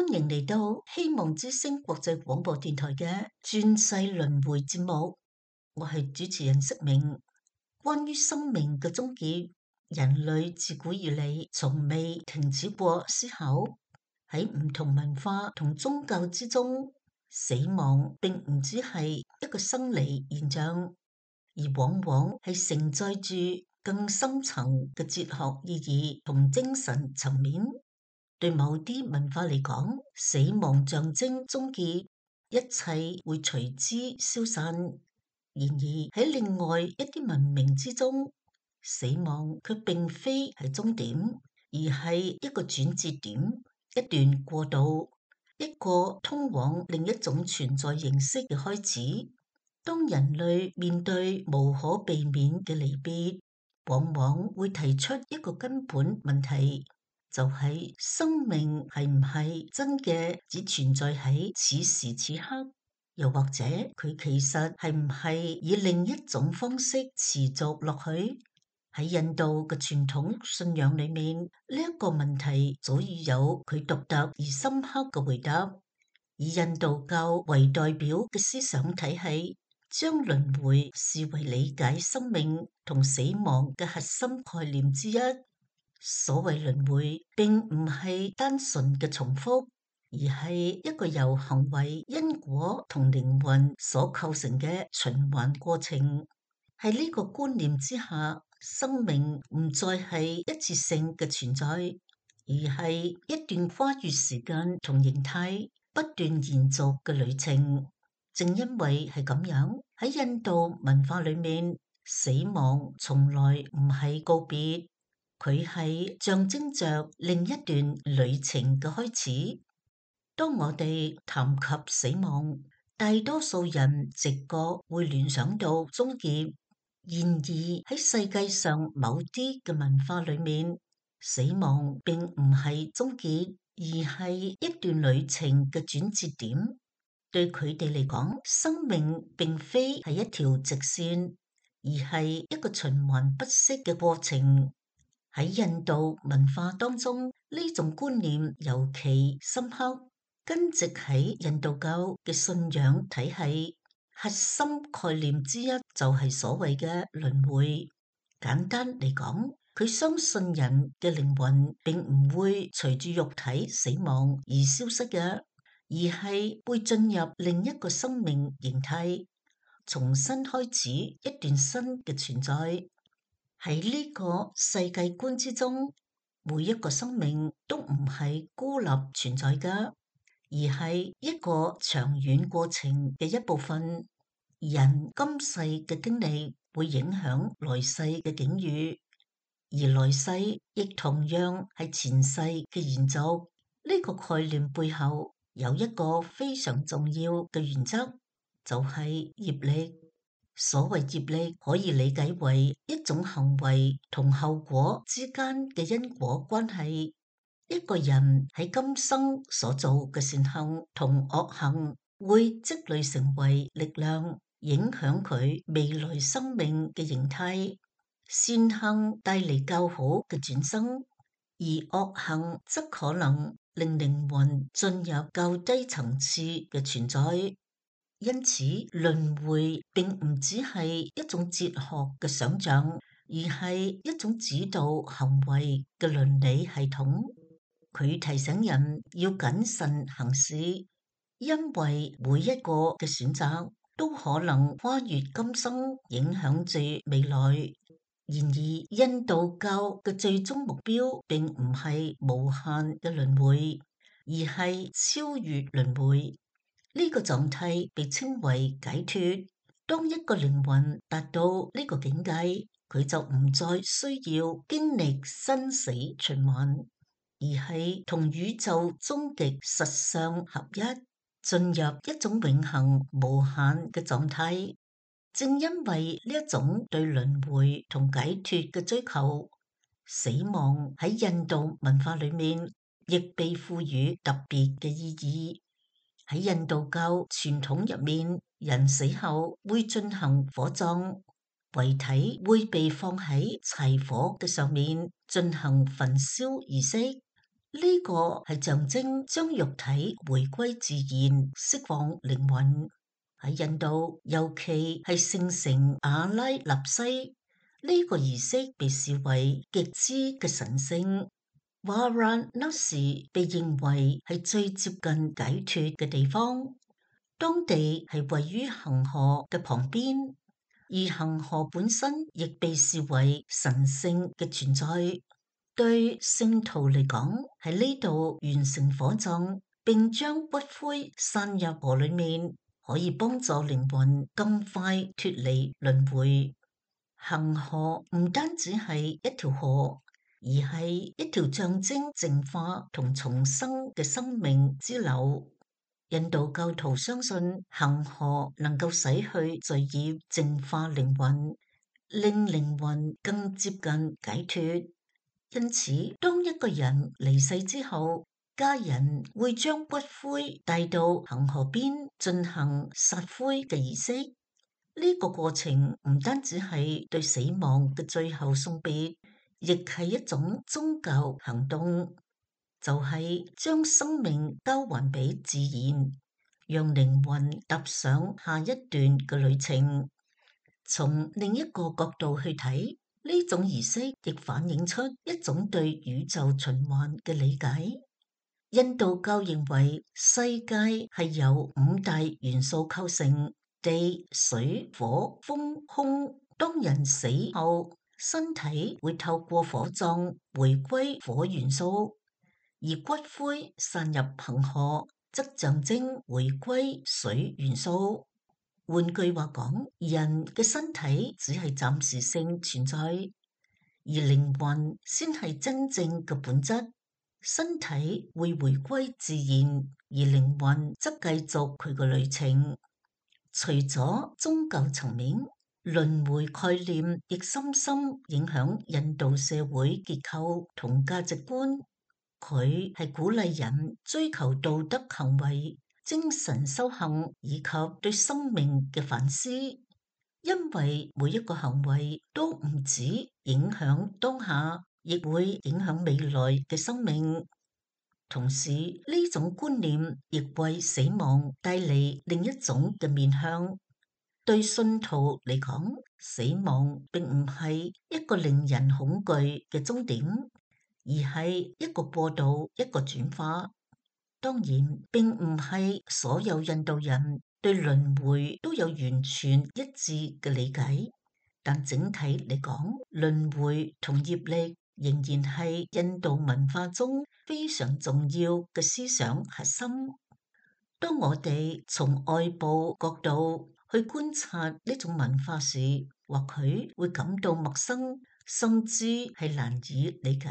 歡迎嚟到希望之聲國際廣播電台嘅轉世輪迴節目，我係主持人釋明。關於生命嘅終結，人類自古以嚟從未停止過思考。喺唔同文化同宗教之中，死亡並唔只係一個生理現象，而往往係承載住更深層嘅哲學意義同精神層面。對某啲文化嚟講，死亡象徵終結，一切會隨之消散。然而喺另外一啲文明之中，死亡卻並非係終點，而係一個轉折點，一段過渡，一個通往另一種存在形式嘅開始。當人類面對無可避免嘅離別，往往會提出一個根本問題。就係生命係唔係真嘅只存在喺此時此刻，又或者佢其實係唔係以另一種方式持續落去？喺印度嘅傳統信仰裏面，呢一個問題早已有佢獨特而深刻嘅回答。以印度教為代表嘅思想體系，將輪迴視為理解生命同死亡嘅核心概念之一。所謂輪迴，並唔係單純嘅重複，而係一個由行為、因果同靈魂所構成嘅循環過程。喺呢個觀念之下，生命唔再係一次性嘅存在，而係一段跨越時間同形態不斷延續嘅旅程。正因為係咁樣，喺印度文化裏面，死亡從來唔係告別。佢係象徵着另一段旅程嘅開始。當我哋談及死亡，大多數人直覺會聯想到終結。然而喺世界上某啲嘅文化裏面，死亡並唔係終結，而係一段旅程嘅轉折點。對佢哋嚟講，生命並非係一條直線，而係一個循環不息嘅過程。喺印度文化當中，呢種觀念尤其深刻，根植喺印度教嘅信仰體系。核心概念之一就係所謂嘅輪迴。簡單嚟講，佢相信人嘅靈魂並唔會隨住肉體死亡而消失嘅，而係會進入另一個生命形態，重新開始一段新嘅存在。喺呢個世界觀之中，每一個生命都唔係孤立存在㗎，而係一個長遠過程嘅一部分。人今世嘅經歷會影響來世嘅境遇，而來世亦同樣係前世嘅延續。呢個概念背後有一個非常重要嘅原則，就係業力。所謂業力可以理解為一種行為同後果之間嘅因果關係。一個人喺今生所做嘅善行同惡行會積累成為力量，影響佢未來生命嘅形態。善行帶嚟較好嘅轉生，而惡行則可能令靈魂進入較低層次嘅存在。因此，輪迴並唔只係一種哲學嘅想象，而係一種指導行為嘅倫理系統。佢提醒人要謹慎行事，因為每一個嘅選擇都可能跨越今生，影響住未來。然而，印度教嘅最終目標並唔係無限嘅輪迴，而係超越輪迴。呢個狀態被稱為解脫。當一個靈魂達到呢個境界，佢就唔再需要經歷生死循環，而係同宇宙終極實相合一，進入一種永恆無限嘅狀態。正因為呢一種對輪迴同解脫嘅追求，死亡喺印度文化裏面亦被賦予特別嘅意義。喺印度教傳統入面，人死後會進行火葬，遺體會被放喺柴火嘅上面進行焚燒儀式。呢個係象徵將肉體回歸自然，釋放靈魂。喺印度，尤其係聖城阿拉納西，呢個儀式被視為極之嘅神聖。Varanasi被認為係最接近解脫嘅地方，當地係位於恒河嘅旁邊，而恒河本身亦被視為神聖嘅存在。對聖徒嚟講，喺呢度完成火葬並將骨灰散入河裏面，可以幫助靈魂更快脫離輪迴。恒河唔單止係一條河，而係一條象徵淨化同重生嘅生命之流。印度教徒相信恒河能夠洗去罪孽，淨化靈魂，令靈魂更接近解脫。因此，當一個人離世之後，家人會將骨灰帶到恒河邊進行撒灰嘅儀式。呢個過程唔單止係對死亡嘅最後送別，亦係一種宗教行動，就係將生命交還俾自然，讓靈魂踏上下一段嘅旅程。從另一個角度去睇，呢種儀式亦反映出一種對宇宙循環嘅理解。印度教認為世界係由五大元素構成：地、水、火、風、空。當人死後，身體會透過火葬回歸火元素，而骨灰散入恒河，則象徵回歸水元素。換句話講，人嘅身體只係暫時性存在，而靈魂先係真正嘅本質。身體會回歸自然，而靈魂則繼續佢嘅旅程。除咗宗教層面，輪迴概念亦深深影響印度社會結構同價值觀。佢係鼓勵人追求道德行為、精神修行以及對生命嘅反思，因為每一個行為都唔止影響當下，亦會影響未來嘅生命。同時，呢種觀念亦為死亡帶嚟另一種嘅面向。對信徒嚟講，死亡並唔係一個令人恐懼嘅終點，而係一個過渡，一個轉化。當然，並唔係所有印度人對輪迴都有完全一致嘅理解，但整體嚟講，輪迴同業力仍然係印度文化中非常重要嘅思想核心。當我哋從外部角度去觀察呢種文化時，或許會感到陌生，甚至係難以理解。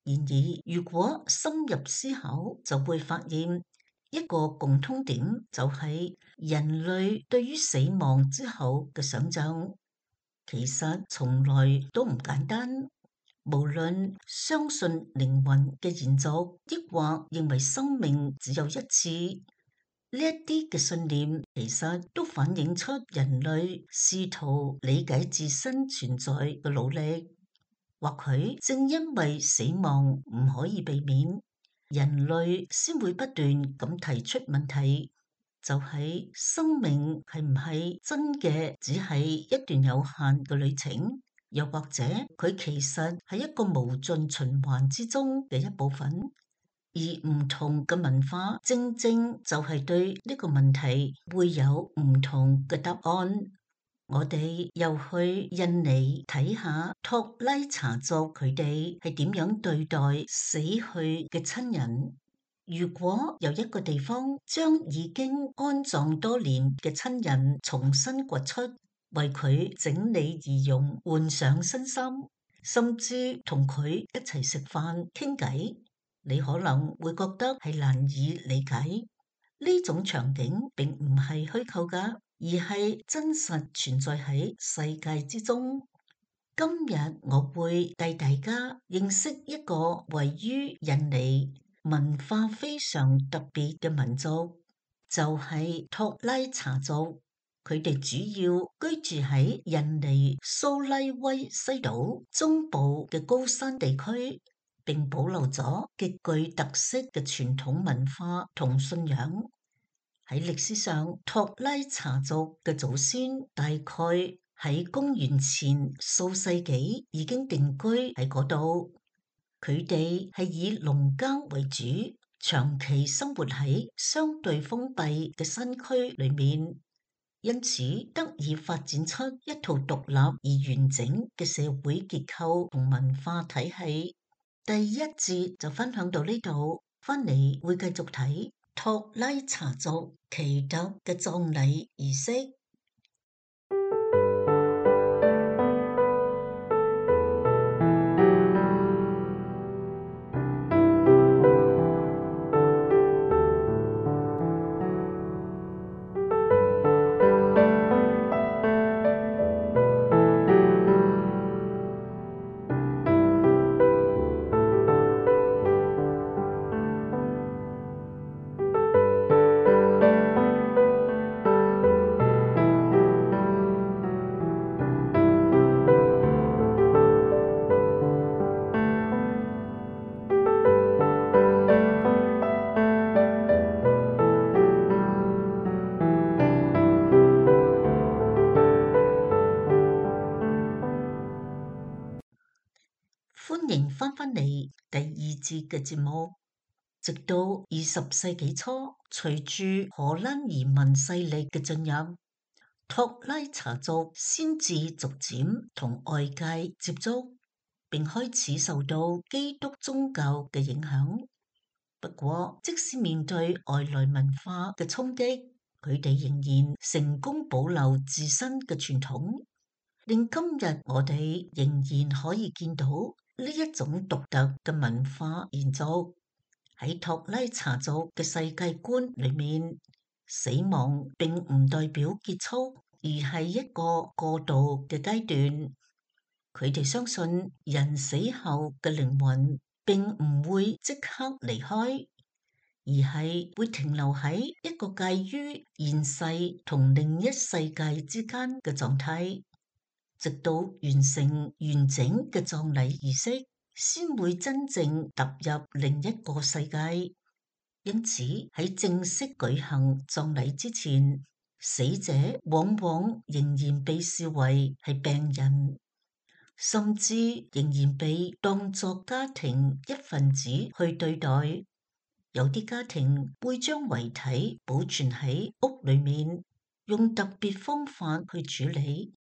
然而，如果深入思考，就會發現一個共通點，就係人類對於死亡之後嘅想象，其實從來都唔簡單。無論相信靈魂嘅延續，抑或認為生命只有一次，呢一啲嘅信念，其實都反映出人類試圖理解自身存在嘅努力。或許正因為死亡唔可以避免，人類先會不斷咁提出問題，就係生命係唔係真嘅只係一段有限嘅旅程，又或者佢其實係一個無盡循環之中嘅一部分。而唔同嘅文化正正就係對呢個問題會有唔同嘅答案。我哋又去印尼睇下托拉查族佢哋係點樣對待死去嘅親人。如果由一個地方將已經安葬多年嘅親人重新掘出，為佢整理儀容，換上新衫，甚至同佢一齊食飯傾偈，你可能會覺得係難以理解。呢種場景並唔係虛構㗎，而係真實存在喺世界之中。今日我會帶大家認識一個位於印尼文化非常特別嘅民族，就係托拉查族。佢哋主要居住喺印尼蘇拉威西島中部嘅高山地區。並保留咗極具特色嘅傳統文化同信仰。喺歷史上，托拉查族嘅祖先大概喺公元前數世紀已經定居喺嗰度。佢哋係以農耕為主，長期生活喺相對封閉嘅山區裏面，因此得以發展出一套獨立而完整嘅社會結構同文化體系。第一節就分享到呢度，翻嚟會繼續睇托拉查族奇特嘅葬禮儀式。歡迎翻返嚟第二節嘅節目。直到20世紀初，隨住荷蘭移民勢力嘅進入，托拉查族先至逐漸同外界接觸，並開始受到基督宗教嘅影響。不過，即使面對外來文化嘅衝擊，佢哋仍然成功保留自身嘅傳統，令今日我哋仍然可以見到呢一種獨特嘅文化延續。喺托拉查族嘅世界觀裏面，死亡並唔代表結束，而係一個過渡嘅階段。佢哋相信人死後嘅靈魂並唔會即刻離開，而係會停留喺一個介於現世同另一世界之間嘅狀態，直到完成完整嘅葬禮儀式，先會真正踏入另一個世界。因此喺正式舉行葬禮之前，死者往往仍然被視為係病人，甚至仍然被當作家庭一份子去對待。有啲家庭會將遺體保存喺屋裏面，用特別方法去處理。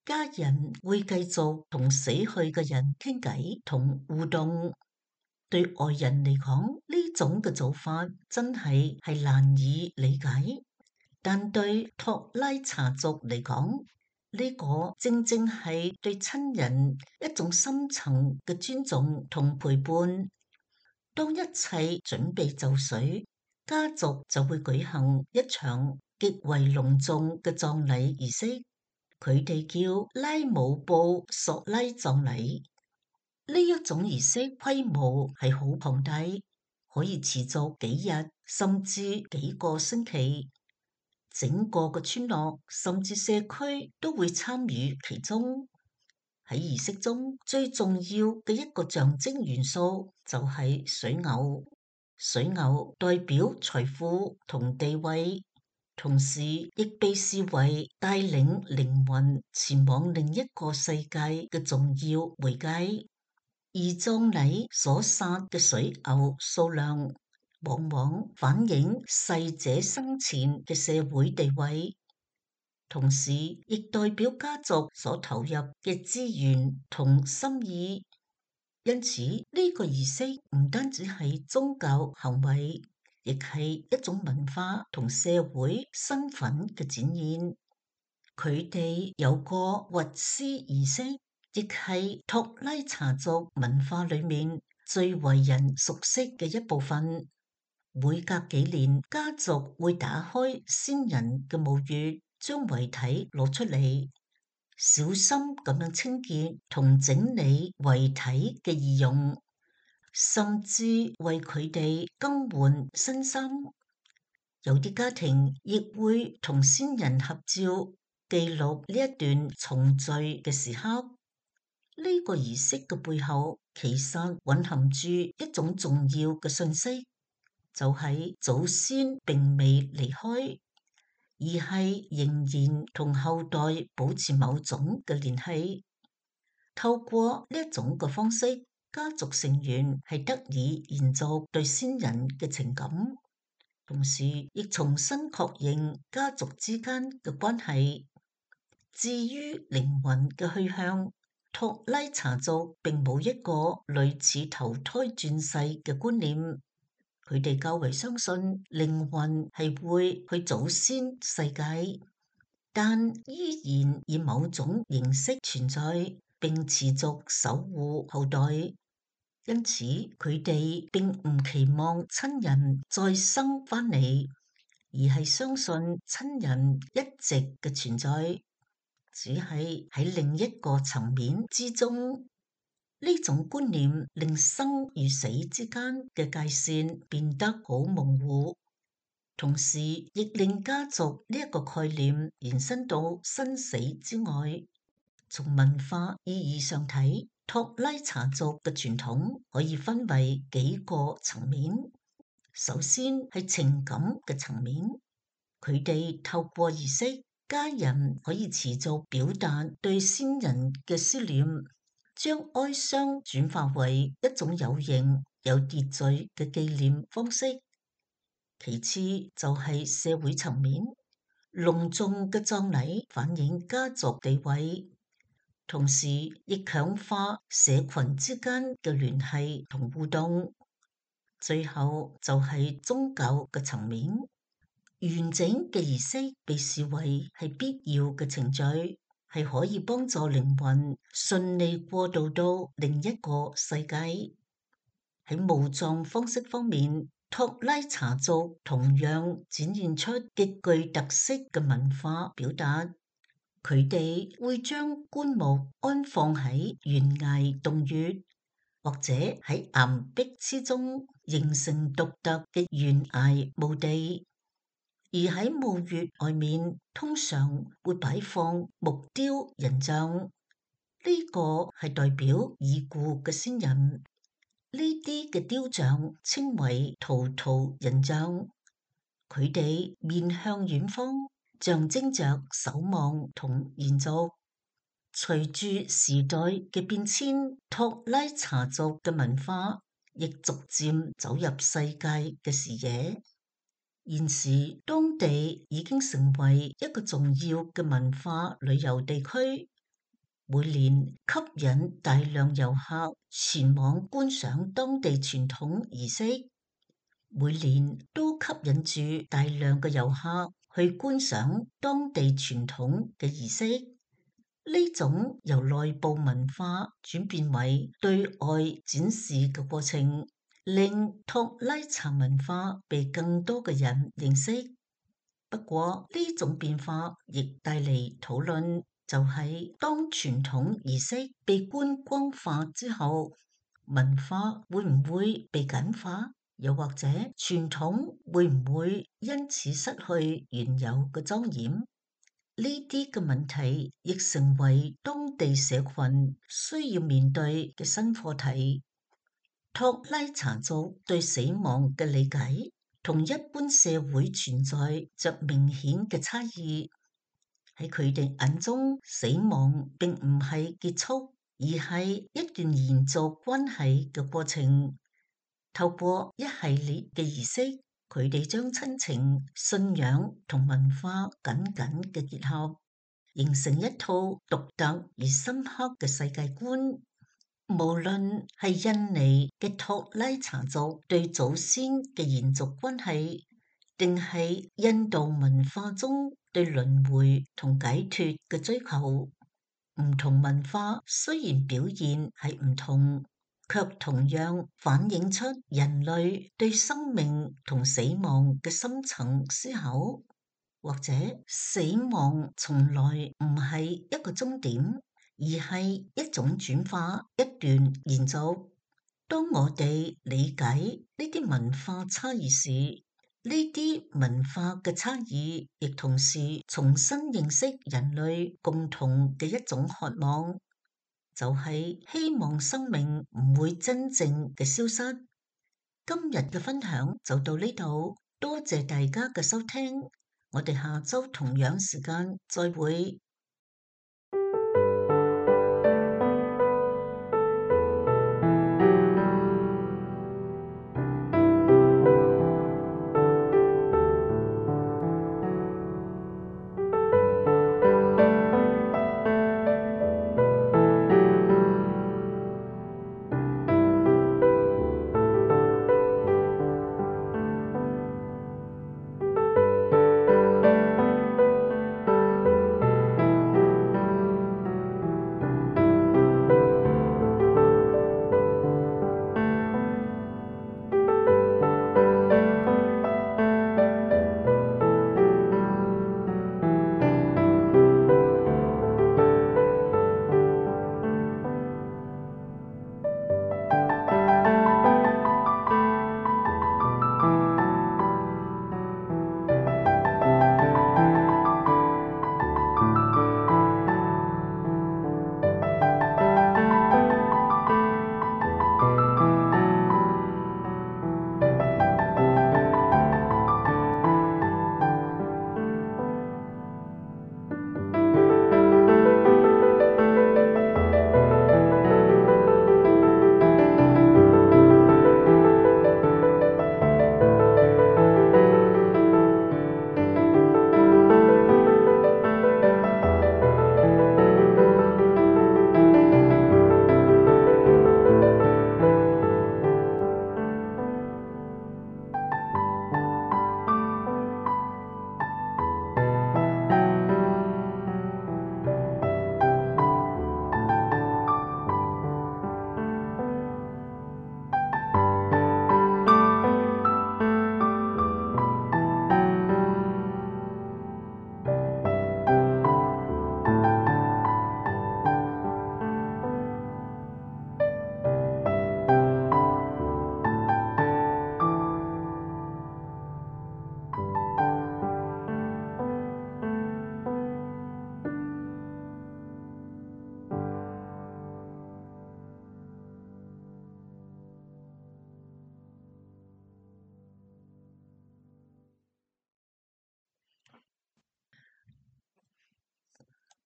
家人會繼續同死去嘅人傾偈同互動。對外人嚟講，呢種嘅做法真係難以理解，但對托拉查族嚟講，呢個正正係對親人一種深層嘅尊重同陪伴。當一切準備就緒，家族就會舉行一場極為隆重嘅葬禮儀式。佢哋叫拉姆布索拉葬禮。呢一種儀式規模係好龐大，可以持續幾日甚至幾個星期。整個嘅村落甚至社區都會參與其中。喺儀式中最重要嘅一個象徵元素就係水牛。水牛代表財富同地位，同時亦被視為帶領靈魂前往另一個世界嘅重要媒介。而葬禮所殺嘅水牛數量，往往反映逝者生前嘅社會地位，同時亦代表家族所投入嘅資源同心意。因此，呢個儀式唔單止係宗教行為，亦係一種文化同社會身份嘅展現。佢哋有個掘屍儀式，亦係托拉查族文化裏面最為人熟悉嘅一部分。每隔幾年，家族會打開先人嘅墓穴，將遺體攞出嚟，小心咁樣清潔同整理遺體嘅儀容，甚至為佢哋更換新衫。有啲家庭亦會同先人合照，記錄呢一段重聚嘅時刻。呢個儀式嘅背後，其實蘊含住一種重要嘅信息，就係祖先並未離開，而係仍然同後代保持某種嘅聯繫。透過呢一種嘅方式，家族成員係得以延續對先人嘅情感，同時亦重新確認家族之間嘅關係。至於靈魂嘅去向，托拉查族並冇一個類似投胎轉世嘅觀念，佢哋較為相信靈魂係會去祖先世界，但依然以某種形式存在，並持續守護後代。因此，佢哋並唔期望親人再生返嚟，而係相信親人一直嘅存在，只係喺另一個層面之中。呢種觀念令生與死之間嘅界線變得好模糊，同時亦令家族呢一個概念延伸到生死之外。從文化意義上睇，托拉查族嘅傳統可以分為幾個層面。首先係情感嘅層面，佢哋透過儀式，家人可以持續表達對先人嘅思念，將哀傷轉化為一種有形有秩序嘅紀念方式。其次就係社會層面，隆重嘅葬禮反映家族地位，同時亦強化社群之間嘅聯繫同互動。最後就係宗教嘅層面，完整嘅儀式被視為係必要嘅程序，係可以幫助靈魂順利過渡到另一個世界。喺墓葬方式方面，托拉查族同樣展現出極具特色嘅文化表達。佢哋會將棺木安放喺懸崖洞穴，或者喺岩壁之中，形成獨特嘅懸崖墓地。而喺墓穴外面，通常會擺放木雕人像，呢個係代表已故嘅先人。呢啲嘅雕像稱為圖圖人像，佢哋面向遠方，象徵着守望同延續。隨住時代嘅變遷，托拉查族嘅文化亦逐漸走入世界嘅視野。現時當地已經成為一個重要嘅文化旅遊地區，每年吸引大量遊客前往觀賞當地傳統儀式，每年都吸引住大量嘅遊客去觀賞當地傳統嘅儀式。呢種由內部文化轉變為對外展示嘅過程，令托拉查文化被更多嘅人認識。不過呢種變化亦帶嚟討論，就係當傳統儀式被觀光化之後，文化會唔會被簡化？又或者傳統會唔會因此失去原有嘅莊嚴？呢啲嘅問題亦成為當地社群需要面對嘅新課題。托拉查族對死亡嘅理解同一般社會存在着明顯嘅差異。喺佢哋眼中，死亡並唔係結束，而係一段延續關係嘅過程。透過一系列嘅儀式，佢哋將親情、信仰同文化緊緊嘅結合，形成一套獨特而深刻嘅世界觀。無論係印尼嘅托拉查族對祖先嘅延續關係，定係印度文化中對輪迴同解脫嘅追求，唔同文化雖然表現係唔同，卻同樣反映出人類對生命同死亡嘅深層思考。或者死亡從來唔係一個終點，而係一種轉化，一段延續。當我哋理解呢啲文化差異時，呢啲文化嘅差異亦同時重新認識人類共同嘅一種渴望。就係希望生命唔會真正嘅消失。今日嘅分享就到呢度，多謝大家嘅收聽，我哋下周同樣時間再會。